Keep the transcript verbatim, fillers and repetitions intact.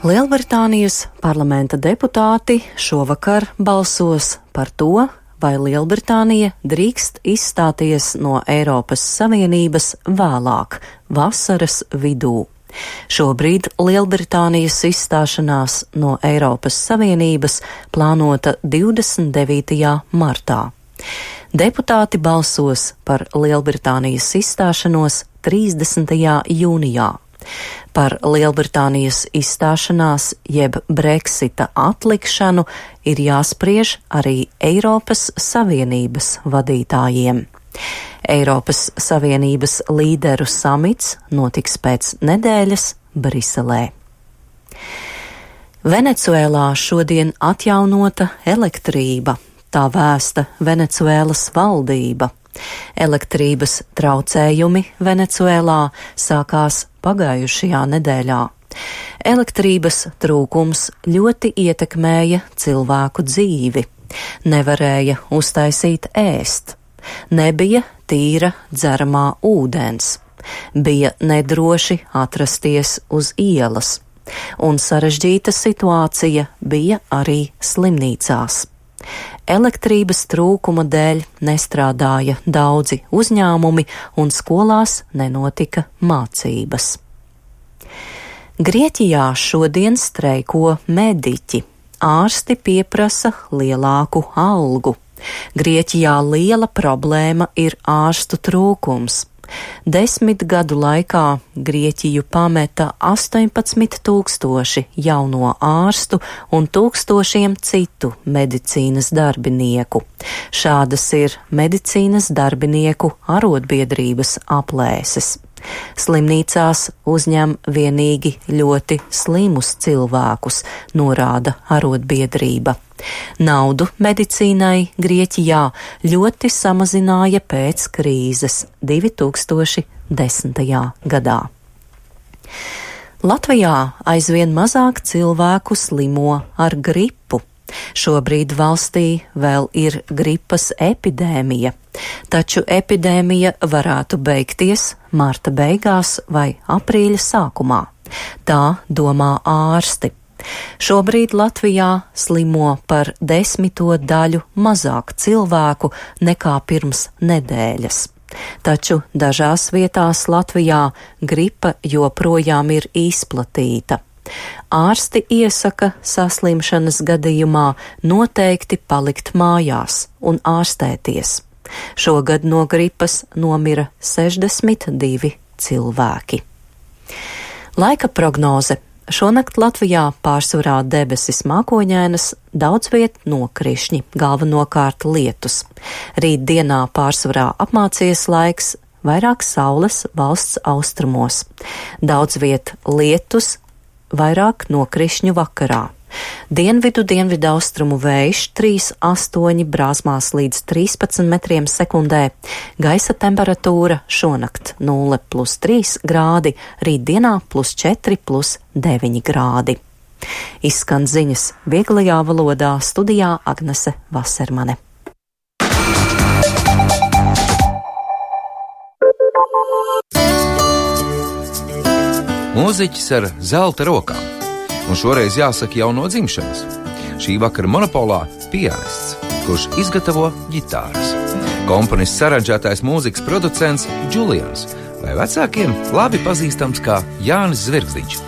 Lielbritānijas parlamenta deputāti šovakar balsos par to, vai Lielbritānija drīkst izstāties no Eiropas Savienības vēlāk, vasaras vidū. Šobrīd Lielbritānijas izstāšanās no Eiropas Savienības plānota divdesmit devītajā martā. Deputāti balsos par Lielbritānijas izstāšanos trīsdesmitajā jūnijā. Par Lielbritānijas izstāšanās jeb Brexita atlikšanu ir jāspriež arī Eiropas Savienības vadītājiem. Eiropas Savienības līderu samits notiks pēc nedēļas Briselē. Venecuēlā šodien atjaunota elektrība, tā vēsta Venecuēlas valdība. Elektrības traucējumi Venecuēlā sākās pagājušajā nedēļā. Elektrības trūkums ļoti ietekmēja cilvēku dzīvi. Nevarēja uztaisīt ēst. Nebija tīra dzeramā ūdens. Bija nedroši atrasties uz ielas. Un sarežģīta situācija bija arī slimnīcās. Elektrības trūkuma dēļ nestrādāja daudzi uzņēmumi un skolās nenotika mācības. Grieķijā šodien streiko mediķi. Ārsti pieprasa lielāku algu. Grieķijā liela problēma ir ārstu trūkums. Desmit gadu laikā Grieķiju pameta astoņpadsmit tūkstoši jauno ārstu un tūkstošiem citu medicīnas darbinieku. Šādas ir medicīnas darbinieku arotbiedrības aplēses. Slimnīcās uzņem vienīgi ļoti slimus cilvēkus, norāda arotbiedrība. Naudu medicīnai Grieķijā ļoti samazināja pēc krīzes divi tūkstoši desmitajā gadā. Latvijā aizvien mazāk cilvēku slimo ar gripu. Šobrīd valstī vēl ir gripas epidēmija, taču epidēmija varētu beigties marta beigās vai aprīļa sākumā. Tā domā ārsti. Šobrīd Latvijā slimo par desmito daļu mazāk cilvēku nekā pirms nedēļas. Taču dažās vietās Latvijā gripa joprojām ir izplatīta. Ārsti iesaka saslimšanas gadījumā noteikti palikt mājās un ārstēties. Šogad no gripas nomira sešdesmit divi cilvēki. Laika prognoze. Šonakt Latvijā pārsvarā debesis mākoņainas, daudz viet nokrišņi, galvenokārt lietus. Rīt dienā pārsvarā apmācies laiks, vairāk saules valsts austrumos. Daudz viet lietus, vairāk nokrišņu vakarā. Dienvidu dienvidu austrumu vējš trīs astoņi brāzmās līdz trīspadsmit metriem sekundē. Gaisa temperatūra šonakt nulle plus trīs grādi, rītdienā plus četri plus deviņi grādi. Izskan ziņas vieglajā valodā, studijā Agnese Vasermane. Mūziķis ar zelta rokām, un šoreiz jāsaka jau no dzimšanas. Šī vakara monopolā pianists, kurš izgatavo ģitāras. Komponists, aranžētājs, mūzikas producents Julians, vai vecākiem labi pazīstams kā Jānis Zvirgzdiņš.